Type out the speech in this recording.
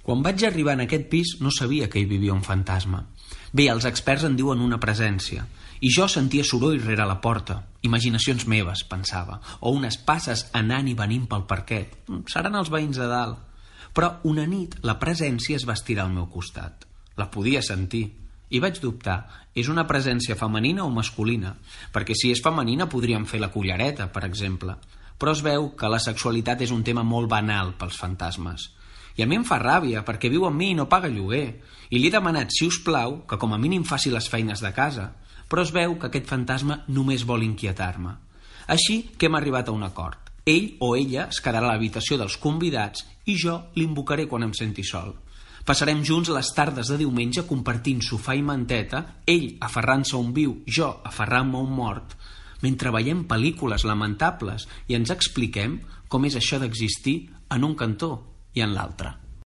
Quan vaig arribar en aquest pis no sabia que hi vivia un fantasma. Bé, els experts en diuen una presència, i jo sentia soroll rere la porta. Imaginacions meves, pensava, o unes passes anant i venint pel parquet. Seran els veïns de dalt. Però una nit la presència es va estirar al meu costat. La podia sentir. I vaig dubtar, és una presència femenina o masculina? Perquè si és femenina podríem fer la cullereta, per exemple. Però es veu que la sexualitat és un tema molt banal pels fantasmes. I a mi em fa ràbia, perquè viu amb mi i no paga lloguer. I li he demanat, si us plau, que com a mínim faci les feines de casa. Però es veu que aquest fantasma només vol inquietar-me. Així que hem arribat a un acord. Ell o ella es quedarà a l'habitació dels convidats i jo l'invocaré quan em senti sol. Passarem junts les tardes de diumenge compartint sofà i manteta, ell aferrant-se a un viu, jo aferrant-me a un mort, mentre veiem pel·lícules lamentables i ens expliquem com és això d'existir en un cantó i en l'altre.